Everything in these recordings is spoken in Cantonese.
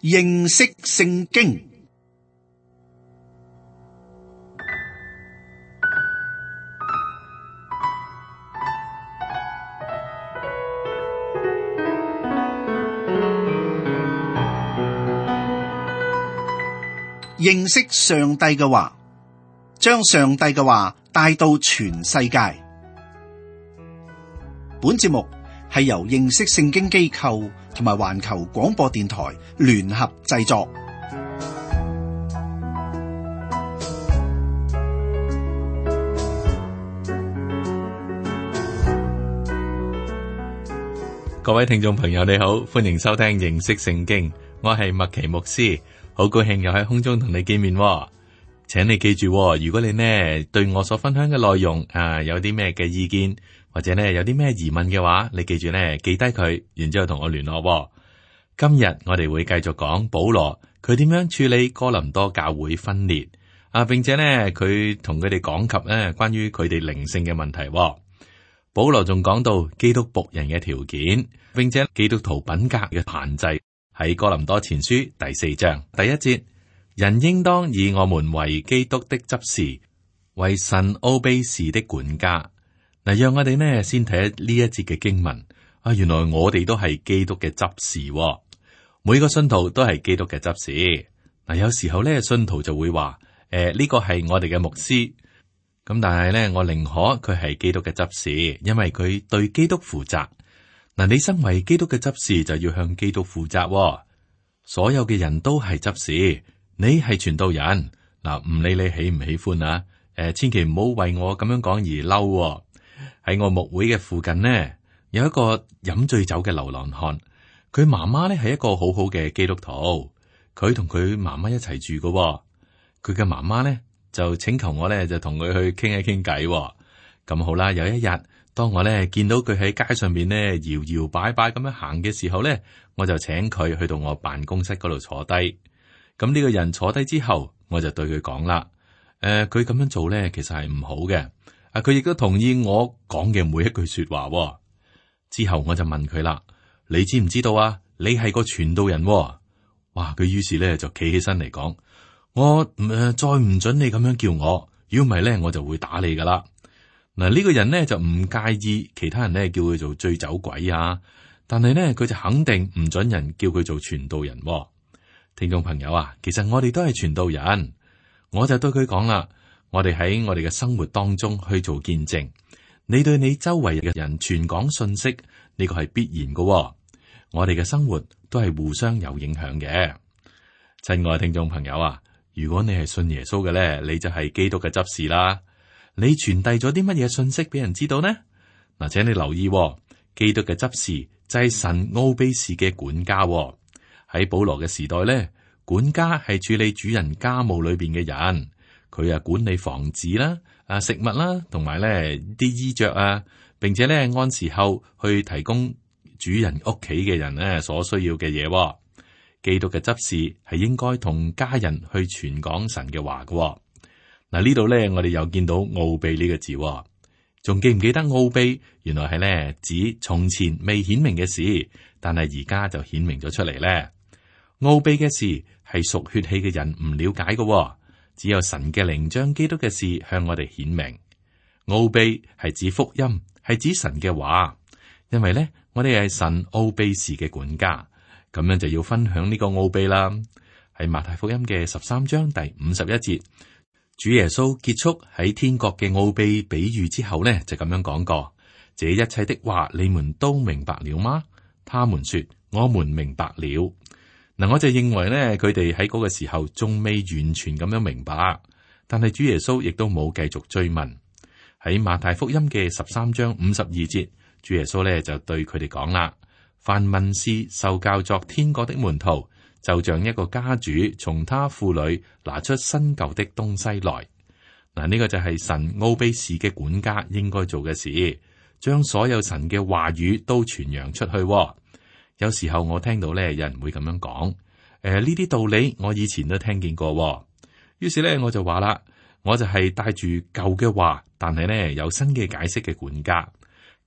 認識聖經。認識上帝嘅話，將上帝嘅話帶到全世界。本節目係由認識聖經機構同埋環球廣播電台聯合製作。各位聽眾朋友，你好，歡迎收聽認識聖經，我係麥奇牧師，好高興又喺空中同你見面。請你記住，如果你呢對我所分享嘅內容有啲咩嘅意見，或者呢有啲咩疑問嘅話，你記住呢記低佢，然之後同我聯絡。今日我哋會繼續講保羅佢點樣處理哥林多教會分裂並且呢佢同佢哋講及呢關於佢哋靈性嘅問題。保羅仲講到基督僕人嘅條件，並且基督徒品格嘅限制。喺哥林多前書第4章第1節，人應當以我們為基督的執事，為神奧秘事的管家。嗱，讓我哋呢先睇呢一節嘅經文。原來我哋都係基督嘅執事，每個信徒都係基督嘅執事。嗱，有時候呢，信徒就會話：呢個係我哋嘅牧師。咁但係呢，我寧可佢係基督嘅執事，因為佢對基督負責。嗱，你身為基督嘅執事就要向基督負責。所有嘅人都係執事，你係傳道人。嗱，唔理你喜唔喜歡啊，千祈唔好為我咁樣講而嬲。喺我牧會嘅附近呢，有一個飲醉酒嘅流浪漢，佢媽媽呢係一個好好嘅基督徒，佢同佢媽媽一齊住嘅。佢嘅媽媽呢就請求我呢就同佢去傾一傾偈。咁好啦，有一日，當我呢見到佢喺街上面呢搖搖擺擺咁樣行嘅時候呢，我就請佢去到我辦公室嗰度坐低。咁呢個人坐低之後，我就對佢講啦：佢咁樣做呢，其實係唔好嘅。佢亦都同意我講嘅每一句說話。之後我就問佢啦：你知唔知道啊？你係個傳道人。哇！佢於是呢就企起身嚟講：我再唔准你咁樣叫我，如果唔係呢，我就會打你噶啦。嗱，呢個人呢就唔介意其他人呢叫佢做醉酒鬼啊，但係呢佢就肯定唔准人叫佢做傳道人。聽眾朋友啊，其實我哋都係傳道人。我就對佢講啦，我哋喺我哋嘅生活當中去做見證，你對你周圍嘅人傳講信息，呢個係必然嘅。我哋嘅生活都係互相有影響嘅。親愛聽眾朋友啊，如果你係信耶穌嘅呢，你就係基督嘅執事啦。你傳遞咗啲乜嘢信息俾人知道呢？嗱，請你留意，基督嘅執事就係神奧秘事嘅管家。喺保羅嘅時代咧，管家係處理主人家務裏邊嘅人，佢管理房子啦、食物啦，同埋咧啲衣着啊，並且咧按時候去提供主人屋企嘅人咧所需要嘅嘢。基督嘅執事係應該同家人去傳講神嘅話嘅。嗱，呢度咧，我哋又見到奧秘呢個字，仲記唔記得奧秘？原來係咧指從前未顯明嘅事，但係而家就顯明咗出嚟咧。奧秘嘅事係屬血氣嘅人唔了解嘅，只有神嘅靈將基督嘅事向我哋顯明。奧秘係指福音，係指神嘅話，因為咧我哋係神奧秘事嘅管家，咁樣就要分享呢個奧秘啦。喺馬太福音嘅13章第51節。主耶穌結束喺天國嘅奧秘比喻之後呢，就咁樣講過：這一切的話你們都明白了嗎？他們說：我們明白了。嗱，我就認為呢，佢哋喺嗰個時候仲未完全咁樣明白，但係主耶穌亦都冇繼續追問。喺馬太福音嘅13章52節，主耶穌呢就對佢哋講啦：凡文士受教作天國的門徒，就像一個家主從他庫裏拿出新舊的東西來。嗱，呢個就係神奧秘事嘅管家應該做嘅事，將所有神嘅話語都傳揚出去。有時候我聽到咧，有人會咁樣講：呢啲道理我以前都聽見過。於是咧，我就話啦，我就係帶住舊嘅話，但係咧有新嘅解釋嘅管家。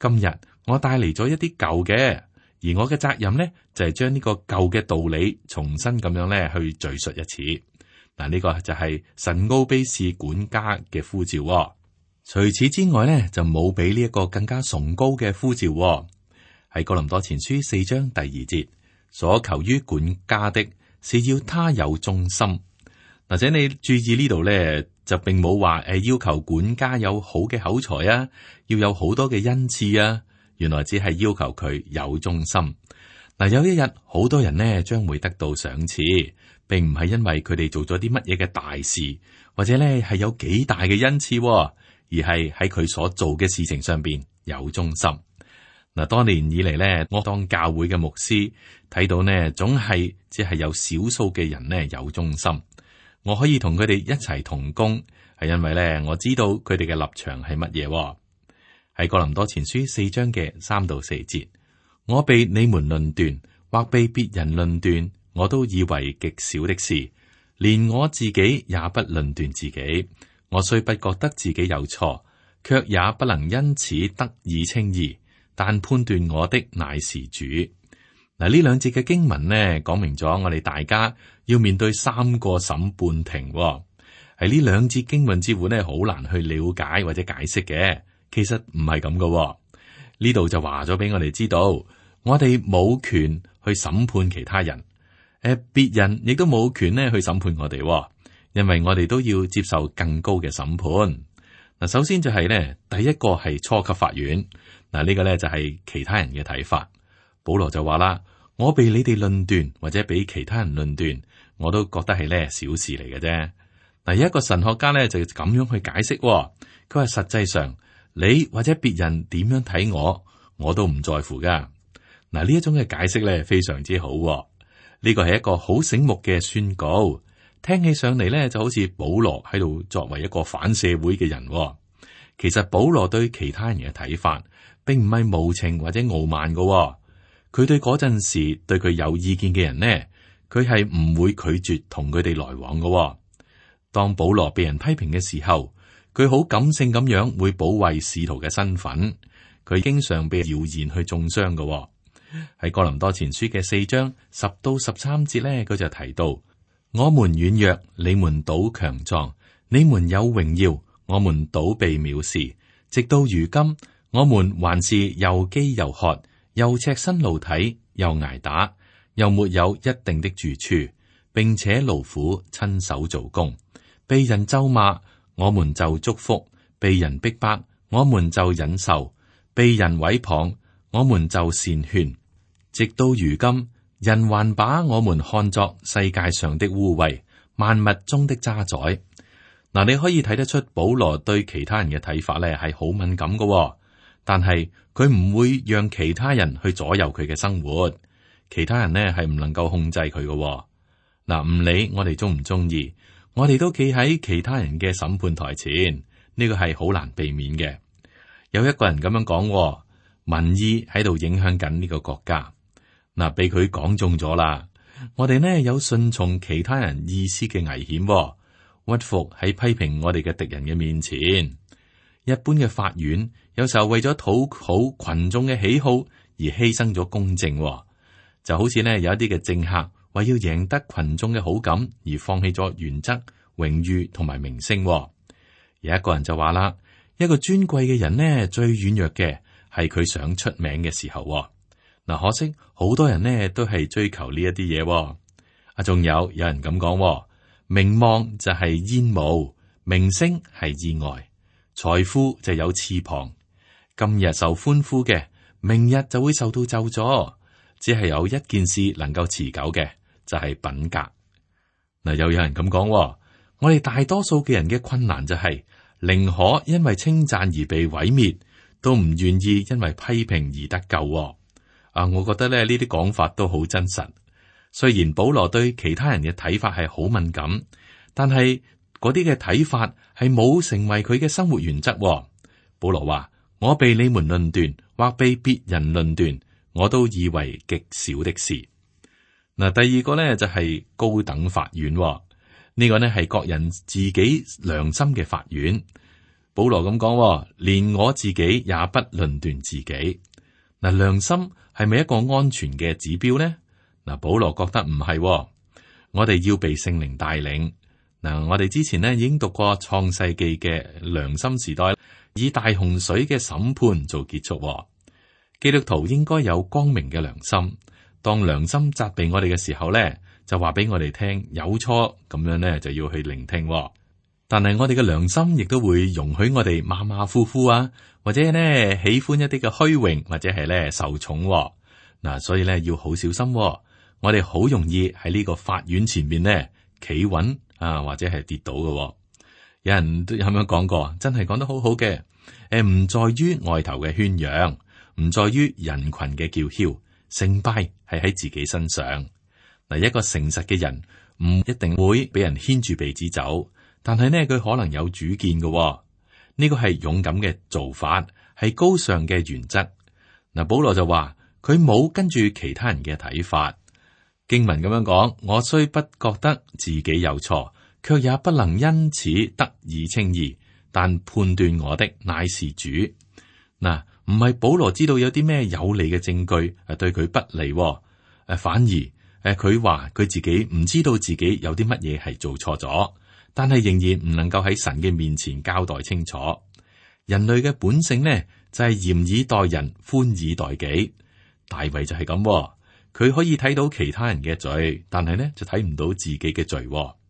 今日我帶嚟咗一啲舊嘅，而我嘅責任呢，就係將呢個舊嘅道理重新咁樣咧去敘述一次。嗱，呢個就係神奧卑士管家嘅呼召。除此之外呢，就冇比呢一個更加崇高嘅呼召。喺哥林多前書4章第2節，所求於管家的是要他有忠心。或者你注意呢度咧，就並冇話要求管家有好嘅口才啊，要有好多嘅恩賜啊。原來只係要求佢有忠心。嗱，有一日好多人呢將會得到賞賜，並唔係因為佢哋做咗啲乜嘢嘅大事，或者咧係有幾大嘅恩賜，而係喺佢所做嘅事情上邊有忠心。嗱，多年以嚟咧，我當教會嘅牧師睇到呢，總係只係有少數嘅人呢有忠心。我可以同佢哋一齊同工，係因為咧我知道佢哋嘅立場係乜嘢。喺哥林多前書4章嘅3到4節，我被你們論斷或被別人論斷，我都以為極小的事，連我自己也不論斷自己。我雖不覺得自己有錯，卻也不能因此得以稱義，但判斷我的乃是主。嗱，呢兩節嘅經文呢，講明咗我哋大家要面對3個審判庭。喺呢兩節經文之乎呢，好難去了解或者解釋嘅。其實唔係咁嘅。呢度就話咗俾我哋知道，我哋冇權去審判其他人，別人亦都冇權呢去審判我哋，因為我哋都要接受更高嘅審判。嗱，首先就係呢，第一個係初級法院。嗱，呢個呢就係其他人嘅睇法。保羅就話啦，我被你哋論斷或者俾其他人論斷，我都覺得係呢小事嚟嘅啫。嗱，有一個神學家呢就咁樣去解釋，佢話實際上你或者別人點樣睇我，我都唔在乎噶。嗱，呢一種嘅解釋咧非常之好，呢個係一個好醒目嘅宣告，聽起上嚟咧就好似保羅喺度作為一個反社會嘅人。其實保羅對其他人嘅睇法，並唔係無情或者傲慢噶。佢對嗰陣時對佢有意見嘅人呢，佢係唔會拒絕同佢哋來往噶。當保羅被人批評嘅時候，佢好感性咁樣會保衛使徒嘅身份。佢經常被謠言去中傷噶。喺哥林多前書嘅4章10到13節咧，佢就提到：我們軟弱，你們倒強壯；你們有榮耀，我們倒被藐視。直到如今，我們還是又飢又渴，又赤身露體，又挨打，又沒有一定的住處，並且勞苦親手做工，被人咒罵，我們就祝福；被人逼迫，我們就忍受；被人毀謗，我們就善勸。直到如今，人還把我們看作世界上的污穢，萬物中的渣滓。嗱，你可以睇得出保羅對其他人嘅睇法咧係好敏感嘅，但係佢唔會讓其他人去左右佢嘅生活。其他人呢係唔能夠控制佢嘅。嗱，唔理我哋中唔中意，我哋都企喺其他人嘅審判台前，呢個係好難避免嘅。有一個人咁樣講，民意喺度影響緊呢個國家。嗱，俾佢講中咗啦。我哋呢有順從其他人意思嘅危險，屈服喺批評我哋嘅敵人嘅面前。一般嘅法院有時候為咗討好群眾嘅喜好而犧牲咗公正，就好似呢有一啲嘅政客為要贏得群眾嘅好感而放棄咗原則、榮譽同埋名聲。有一個人就話啦，一個尊貴嘅人呢最軟弱嘅係佢想出名嘅時候。嗱，可惜好多人呢都係追求呢一啲嘢。仲有人咁講，名望就係煙霧，名聲係意外，財富就有翅膀。今日受歡呼嘅，明日就會受到咒詛。只係有一件事能夠持久嘅，就係品格。嗱，又有人咁講，我哋大多數嘅人嘅困難就係寧可因為稱讚而被毀滅，都唔願意因為批評而得救。我覺得咧呢啲講法都好真實。雖然保羅對其他人嘅睇法係好敏感，但係嗰啲嘅睇法係冇成為佢嘅生活原則。保羅話：我被你們論斷或被別人論斷，我都以為極小的事。嗱，第二個呢就係高等法院，呢個呢係各人自己良心嘅法院。保羅咁講，連我自己也不論斷自己。嗱，良心係咪一個安全嘅指標呢？嗱，保羅覺得唔係，我哋要被聖靈帶領。嗱，我哋之前呢已經讀過創世記嘅良心時代，以大洪水嘅審判做結束。基督徒應該有光明嘅良心，當良心責備我哋嘅時候呢，就話俾我哋聽有錯，咁樣呢就要去聆聽。但係我哋嘅良心亦都會容許我哋馬馬虎虎啊，或者呢喜歡一啲嘅虛榮，或者係呢受寵。嗱，所以呢要好小心。我哋好容易喺呢個法院前面呢企穩啊，或者係跌倒嘅。有人都咁樣講過，真係講得好好嘅。唔在於外頭嘅宣揚，唔在於人群嘅叫囂，成敗係喺自己身上。嗱，一個誠實嘅人唔一定會俾人牽住鼻子走。但係呢，佢可能有主見嘅。呢個係勇敢嘅做法，係高尚嘅原則。嗱，保羅就話佢冇跟住其他人嘅睇法。經文咁樣講，我雖不覺得自己有錯，卻也不能因此得以稱義。但判斷我的乃是主。嗱，唔係保羅知道有啲咩有利嘅證據對佢不利，反而佢話佢自己唔知道自己有啲乜嘢係做錯咗。但係仍然唔能夠喺神嘅面前交代清楚。人類嘅本性呢，就係嚴以待人，寬以待己。大衛就係咁，佢可以睇到其他人嘅罪，但係呢就睇唔到自己嘅罪。咁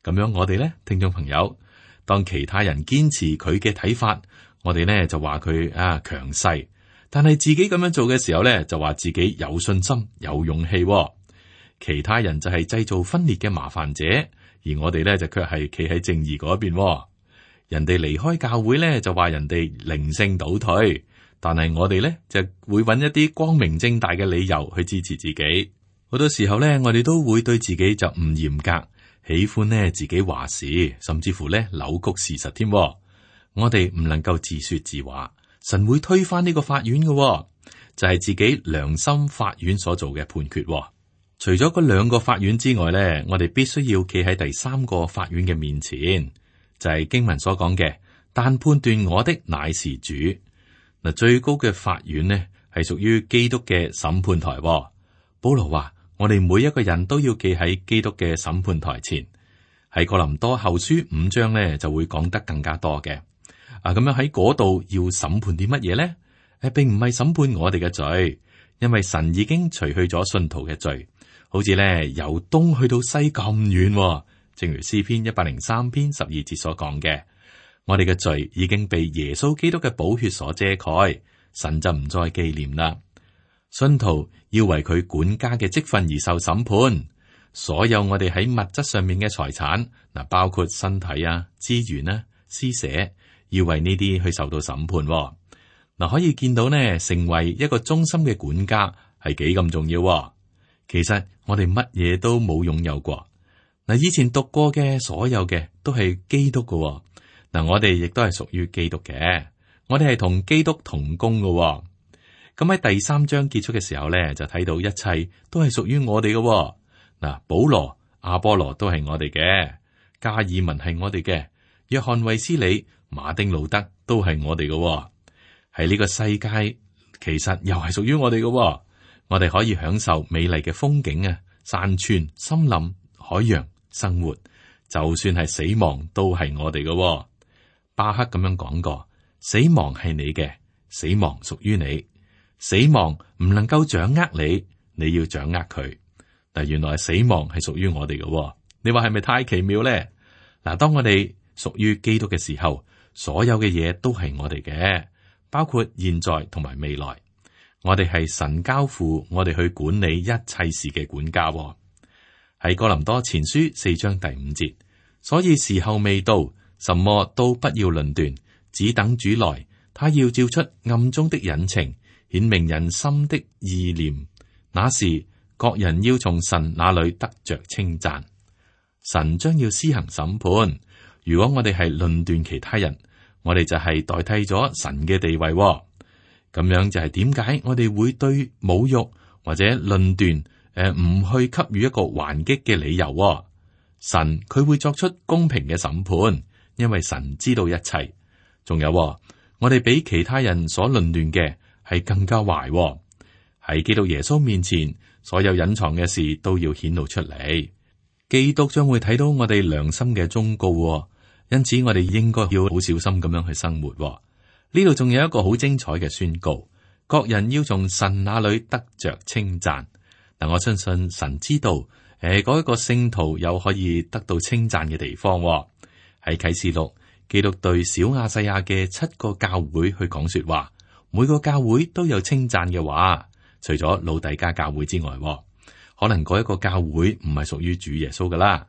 樣我哋呢，聽眾朋友，當其他人堅持佢嘅睇法，我哋呢就話佢強勢，但係自己咁樣做嘅時候呢，就話自己有信心、有勇氣。其他人就係製造分裂嘅麻煩者。而我哋咧就卻係企喺正義嗰邊。人哋離開教會咧就話人哋靈性倒退，但係我哋咧就會揾一啲光明正大嘅理由去支持自己。好多時候咧，我哋都會對自己就唔嚴格，喜歡呢自己話事，甚至乎咧扭曲事實添。我哋唔能夠自說自話，神會推翻呢個法院嘅，就係自己良心法院所做嘅判決。除咗嗰兩個法院之外咧，我哋必須要企喺第三個法院嘅面前，就係經文所講嘅，但判斷我的乃是主。嗱，最高嘅法院呢係屬於基督嘅審判台。保羅話我哋每一個人都要企喺基督嘅審判台前。喺哥林多後書5章呢就會講得更加多嘅。咁樣喺嗰度要審判啲乜嘢呢？並唔係審判我哋嘅罪，因為神已經除去咗信徒嘅罪。好似咧由東去到西咁遠，正如詩篇103篇12節所講嘅，我哋嘅罪已經被耶穌基督嘅寶血所遮蓋，神就唔再紀念啦。信徒要為佢管家嘅職分而受審判，所有我哋喺物質上面嘅財產，嗱，包括身體啊、資源啊、施捨，要為呢啲去受到審判。嗱，可以見到呢，成為一個忠心嘅管家係幾咁重要。其實我哋乜嘢都冇擁有過。嗱，以前讀過嘅所有嘅都係基督嘅。嗱，我哋亦都係屬於基督嘅，我哋係同基督同工嘅。咁喺第3章結束嘅時候咧，就睇到一切都係屬於我哋嘅。嗱，保羅、亞波羅都係我哋嘅，加爾文係我哋嘅，約翰衛斯理、馬丁路德都係我哋嘅。喺呢個世界，其實又係屬於我哋嘅。我哋可以享受美麗嘅風景啊，山川、森林、海洋、生活，就算係死亡都係我哋嘅。巴克咁樣講過：死亡係你嘅，死亡屬於你，死亡唔能夠掌握你，你要掌握佢。但原來死亡係屬於我哋嘅。你話係咪太奇妙咧？嗱，當我哋屬於基督嘅時候，所有嘅嘢都係我哋嘅，包括現在同埋未來。我哋係神交付我哋去管理一切事嘅管家。喺哥林多前書4章第5節，所以時候未到，什麼都不要論斷，只等主來，他要照出暗中的隱情，顯明人心的意念。那時各人要從神那裏得着稱讚。神將要施行審判。如果我哋係論斷其他人，我哋就係代替咗神嘅地位。咁樣就係點解我哋會對侮辱或者論斷唔去給予一個還擊嘅理由？神佢會作出公平嘅審判，因為神知道一切。仲有我哋比其他人所論斷嘅係更加壞。喺基督耶穌面前，所有隱藏嘅事都要顯露出嚟。基督將會睇到我哋良心嘅忠告，因此我哋應該要好小心咁樣去生活。呢度仲有一個好精彩嘅宣告，各人要從神那裏得着稱讚。嗱，我相信神知道，嗰一個聖徒有可以得到稱讚嘅地方。喺啟示錄，基督對小亞細亞嘅7個教會去講說話，每個教會都有稱讚嘅話，除咗老底嘉教會之外，可能嗰一個教會唔係屬於主耶穌噶啦。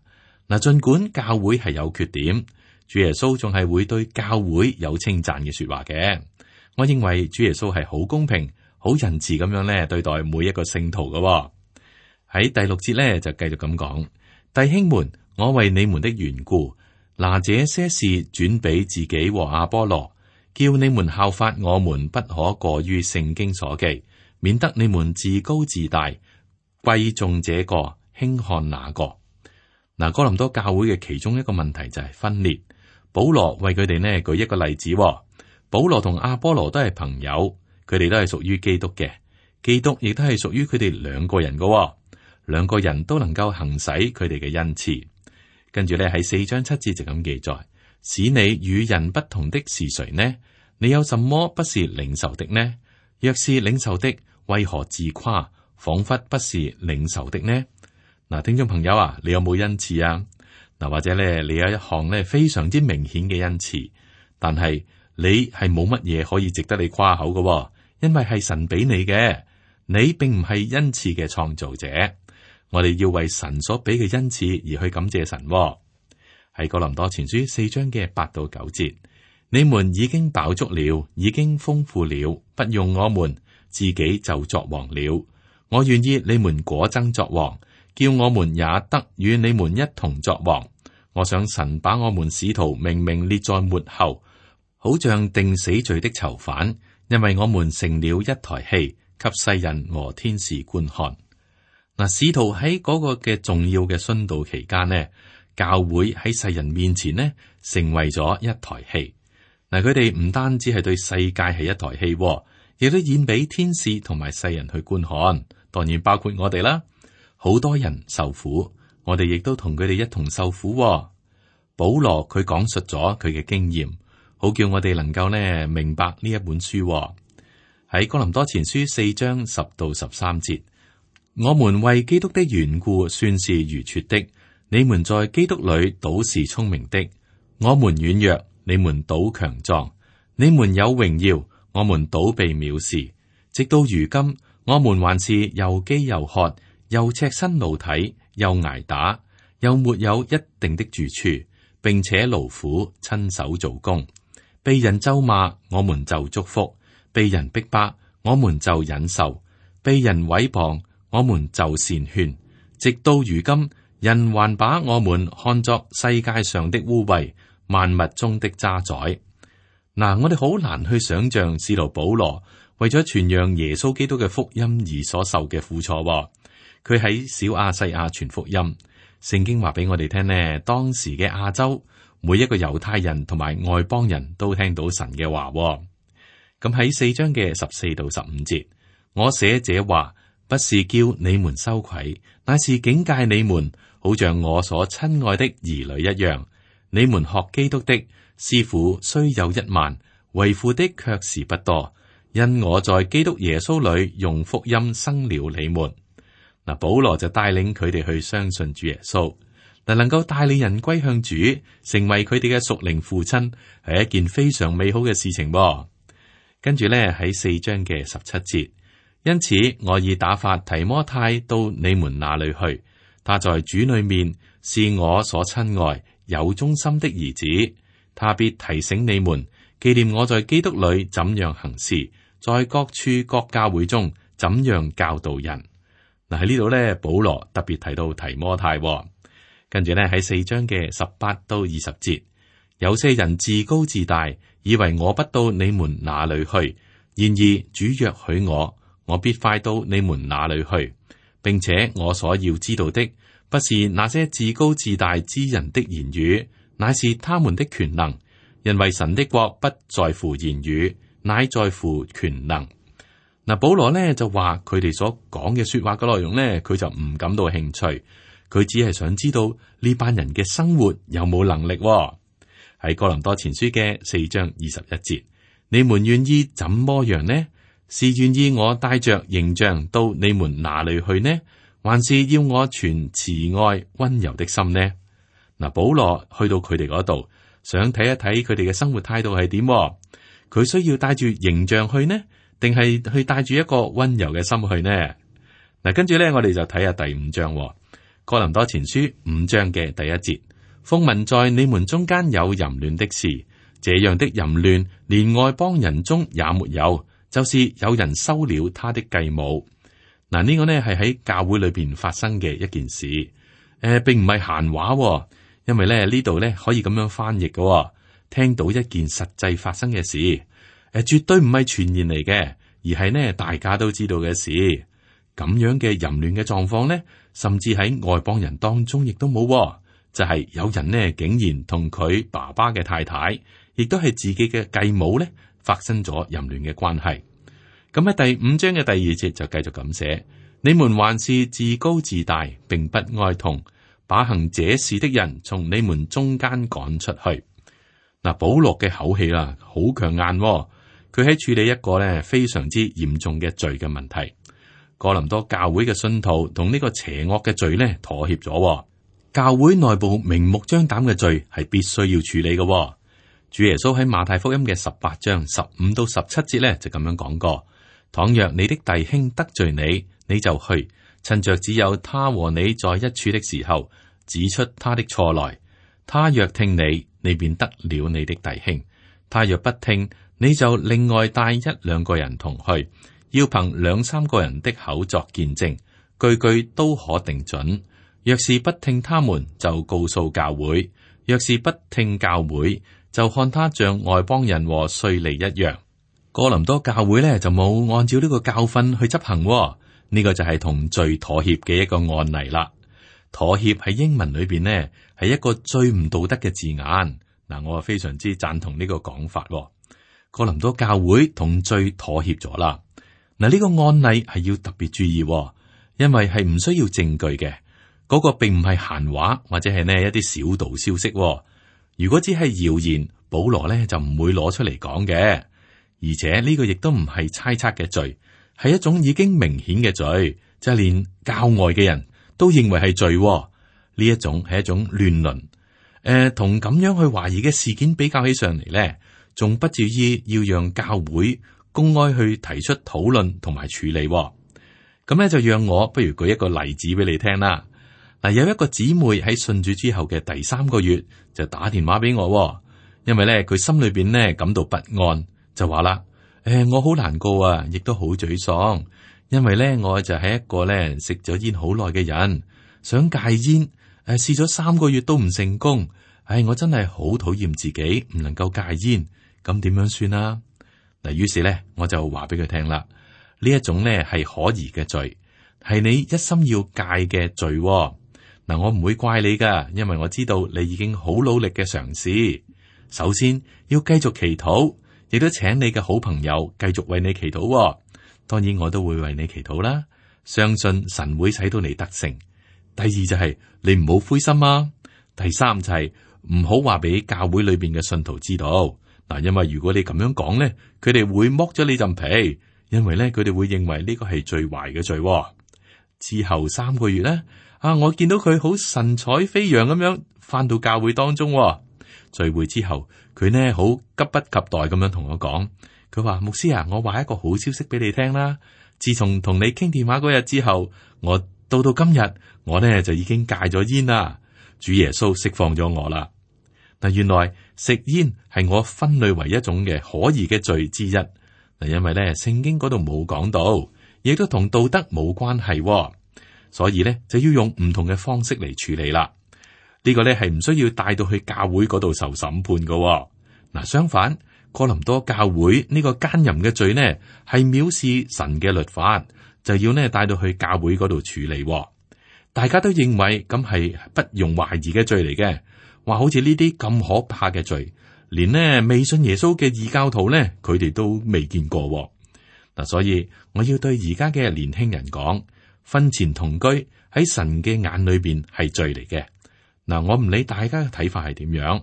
嗱，盡管教會係有缺點，主耶穌仲係會對教會有稱讚嘅說話嘅。我認為主耶穌係好公平、好仁慈咁樣咧對待每一個聖徒嘅。喺第6節咧就繼續咁講，弟兄們，我為你們的緣故，拿這些事轉俾自己和阿波羅，叫你們效法我們，不可過於聖經所記，免得你們自高自大，貴重這個，輕看那個。嗱，哥林多教會嘅其中一個問題就係分裂。保羅為佢哋呢舉一個例子，保羅同阿波羅都係朋友，佢哋都係屬於基督嘅，基督亦都係屬於佢哋兩個人嘅，兩個人都能夠行使佢哋嘅恩賜。跟住咧喺4章7節就咁記載，使你與人不同的是誰呢？你有什麼不是領受的呢？若是領受的，為何自誇，仿佛不是領受的呢？嗱，聽眾朋友啊，你有冇恩賜啊？嗱，或者咧，你有一項咧非常之明顯嘅恩賜，但係你係冇乜嘢可以值得你誇口嘅，因為係神俾你嘅，你並唔係恩賜嘅創造者。我哋要為神所俾嘅恩賜而去感謝神。喺哥林多前書4章嘅8到9節，你們已經飽足了，已經豐富了，不用我們，自己就作王了。我願意你們果真作王，叫我們也得與你們一同作王。我想神把我們使徒明明列在末後，好像定死罪的囚犯，因為我們成了一台戲，給世人和天使觀看。嗱，使徒喺嗰個嘅重要嘅殉道期間呢，教會喺世人面前呢，成為咗一台戲。嗱，佢哋唔單止係對世界係一台戲，亦都演俾天使同埋世人去觀看，當然包括我哋啦。好多人受苦，我哋亦都同佢哋一同受苦。保羅佢講述咗佢嘅經驗，好叫我哋能夠呢明白呢一本書。喺哥林多前書4章10到13節，我們為基督的緣故算是愚拙的，你們在基督裏倒是聰明的。我們軟弱，你們倒強壯；你們有榮耀，我們倒被藐視。直到如今，我們還是又飢又渴，又赤身露體，又挨打，又沒有一定的住處，並且勞苦親手做工。被人咒罵，我們就祝福；被人逼迫，我們就忍受；被人毀謗，我們就善勸。直到如今，人還把我們看作世界上的污穢，萬物中的渣滓。嗱，我哋好難去想象使徒保羅為咗傳揚耶穌基督嘅福音而所受嘅苦楚。佢喺小亞細亞傳福音，聖經話俾我哋聽呢，當時嘅亞洲每一個猶太人同埋外邦人都聽到神嘅話。咁喺4章嘅14到15節，我寫這話不是叫你們羞愧，乃是警戒你們，好像我所親愛的兒女一樣。你們學基督的師傅雖有1萬，為父的卻是不多，因我在基督耶穌裏用福音生了你們。嗱，保羅就帶領佢哋去相信主耶穌，嗱，能夠帶領人歸向主，成為佢哋嘅屬靈父親，係一件非常美好嘅事情。跟住咧喺4章嘅17節，因此我已打發提摩太到你們那裏去，他在主裏面是我所親愛有忠心的兒子，他必提醒你們，紀念我在基督裏怎樣行事，在各處各教會中怎樣教導人。嗱，喺呢度咧，保羅特別提到提摩太。跟住咧喺4章嘅18到20節，有些人自高自大，以為我不到你們那裏去，然而主若許我，我必快到你們那裏去，並且我所要知道的，不是那些自高自大之人的言語，乃是他們的權能。因為神的國不在乎言語，乃在乎權能。嗱，保羅咧就話佢哋所講嘅說話嘅內容咧，佢就唔感到興趣，佢只係想知道呢班人嘅生活有冇能力喎。喺哥林多前書嘅4章21節，你們願意怎麼樣呢？是願意我帶着形象到你們哪裏去呢？還是要我存慈愛溫柔的心呢？嗱，保羅去到佢哋嗰度，想睇一睇佢哋嘅生活態度係點。佢需要帶住形象去呢，定係去帶住一個溫柔嘅心去呢？嗱，跟住咧，我哋就睇下第5章，哥林多前書5章嘅第1節，風聞在你們中間有淫亂的事，這樣的淫亂連外邦人中也沒有，就是有人收了他的繼母。嗱，呢個呢係喺教會裏邊發生嘅一件事，並唔係閒話，因為咧呢度咧可以咁樣翻譯嘅，聽到一件實際發生嘅事，絕對唔係傳言嚟嘅，而係呢大家都知道嘅事。咁樣嘅淫亂嘅狀況呢，甚至喺外邦人當中亦都冇，就係有人呢竟然同佢爸爸嘅太太，亦都係自己嘅繼母呢，發生咗淫亂嘅關係。咁喺第5章嘅第2節就繼續咁寫：你們還是自高自大，並不哀痛，把行這事的人從你們中間趕出去。嗱，保羅嘅口氣啦，好強硬，佢喺處理一個咧非常之嚴重嘅罪嘅問題。哥林多教會嘅信徒同呢個邪惡嘅罪咧妥協咗。教會內部明目張膽嘅罪係必須要處理嘅。主耶穌喺馬太福音嘅18章15到17節咧就咁樣講過：倘若你的弟兄得罪你，你就去，趁着只有他和你在一處的時候，指出他的錯來。他若聽你，你便得了你的弟兄；他若不聽，你就另外帶1、2個人同去，要憑2、3個人的口作見證，句句都可定準。若是不聽他們，就告訴教會；若是不聽教會，就看他像外邦人和稅吏一樣。哥林多教會咧就冇按照呢個教訓去執行，呢個就係同罪妥協嘅一個案例啦。妥協喺英文裏邊呢係一個最唔道德嘅字眼。嗱，我非常之贊同呢個講法。哥林多教會同罪妥協咗啦。嗱，呢個案例係要特別注意，因為係唔需要證據嘅。嗰個並唔係閒話，或者係呢一啲小道消息。如果只係謠言，保羅呢就唔會攞出嚟講嘅。而且呢個亦都唔係猜測嘅罪，係一種已經明顯嘅罪，就係連教外嘅人都認為係罪。呢一種係一種亂倫。同咁樣去懷疑嘅事件比較起上嚟呢，仲不至於要讓教會公開去提出討論同埋處理。咁咧就讓我不如舉一個例子俾你聽啦。嗱，有一個姊妹喺信主之後嘅第3個月就打電話俾我，因為咧佢心裏邊咧感到不安，就話啦：我好難過啊，亦都好沮喪，因為咧我就係一個咧食咗煙好耐嘅人，想戒煙，試咗3個月都唔成功，我真係好討厭自己唔能夠戒煙，咁點樣算啊？嗱，於是咧我就話俾佢聽啦，呢一種咧係可疑嘅罪，係你一心要戒嘅罪。嗱，我唔會怪你噶，因為我知道你已經好努力嘅嘗試。首先要繼續祈禱，亦都請你嘅好朋友繼續為你祈禱。當然我都會為你祈禱啦，相信神會使到你得勝。第二就係你唔好灰心啊。第三就係唔好話俾教會裏邊嘅信徒知道。嗱，因為如果你咁樣講咧，佢哋會剝咗你陣皮，因為咧佢哋會認為呢個係最壞嘅罪。之後3個月咧。我見到佢好神采飛揚咁樣翻到教會當中。聚會之後，佢呢好急不及待咁樣同我講，佢話：牧師啊，我話一個好消息俾你聽啦。自從同你傾電話嗰日之後，我到今日，我呢就已經戒咗煙啦。主耶穌釋放咗我啦。嗱，原來食煙係我分類為一種嘅可疑嘅罪之一。嗱，因為呢聖經嗰度冇講到，亦都同道德冇關係。所以咧就要用唔同嘅方式嚟處理啦。呢個咧係唔需要帶到去教會嗰度受審判噶。嗱，相反，哥林多教會呢個奸淫嘅罪呢係藐視神嘅律法，就要呢帶到去教會嗰度處理。大家都認為咁係不容懷疑嘅罪嚟嘅。話好似呢啲咁可怕嘅罪，連呢未信耶穌嘅異教徒呢，佢哋都未見過。嗱，所以我要對而家嘅年輕人講，婚前同居喺神嘅眼裏邊係罪嚟嘅。嗱，我唔理大家嘅睇法係點樣，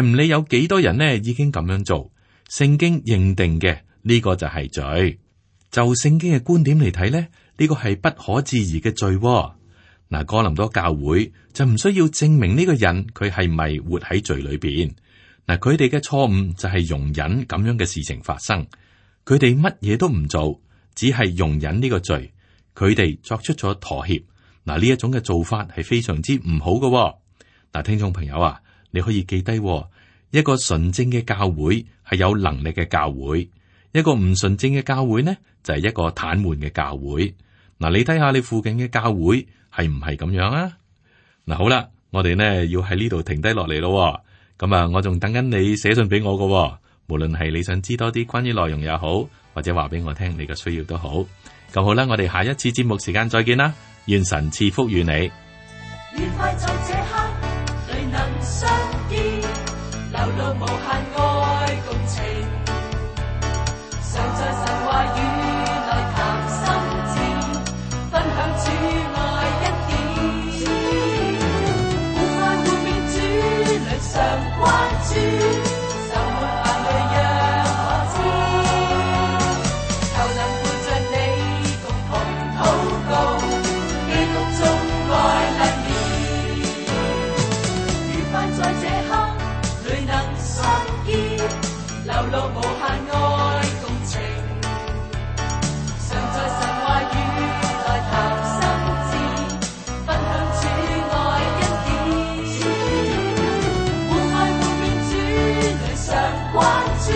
唔理有幾多人呢已經咁樣做，聖經認定嘅呢個就係罪。就聖經嘅觀點嚟睇咧，呢個係不可置疑嘅罪。嗱，哥林多教會就唔需要證明呢個人佢係咪活喺罪裏邊。嗱，佢哋嘅錯誤就係容忍咁樣嘅事情發生，佢哋乜嘢都唔做，只係容忍呢個罪，佢哋作出咗妥協。嗱，呢一種嘅做法係非常之唔好嘅。嗱，聽眾朋友啊，你可以記低，一個純正嘅教會係有能力嘅教會，一個唔純正嘅教會呢就係一個癱瘓嘅教會。嗱，你睇下你附近嘅教會係唔係咁樣啊？嗱，好啦，我哋呢要喺呢度停低落嚟咯。咁啊，我仲等緊你寫信俾我㗎，無論係你想知多啲關於內容也好，或者話俾我聽你嘅需要都好。咁好啦，我哋下一次節目時間再見啦，願神賜福與你。愉快在這刻，誰能相見？流露無限愛共情，常在神話語內談心志，分享主愛恩典。互愛互勉主裏常關注，愁悶眼淚讓我知，求能陪着你共同禱告，基督中愛亮了。愉快在這刻，誰能相見？流露無限愛共情，常在神話語內談心志，分享主愛恩典。互愛互勉主裏常關注。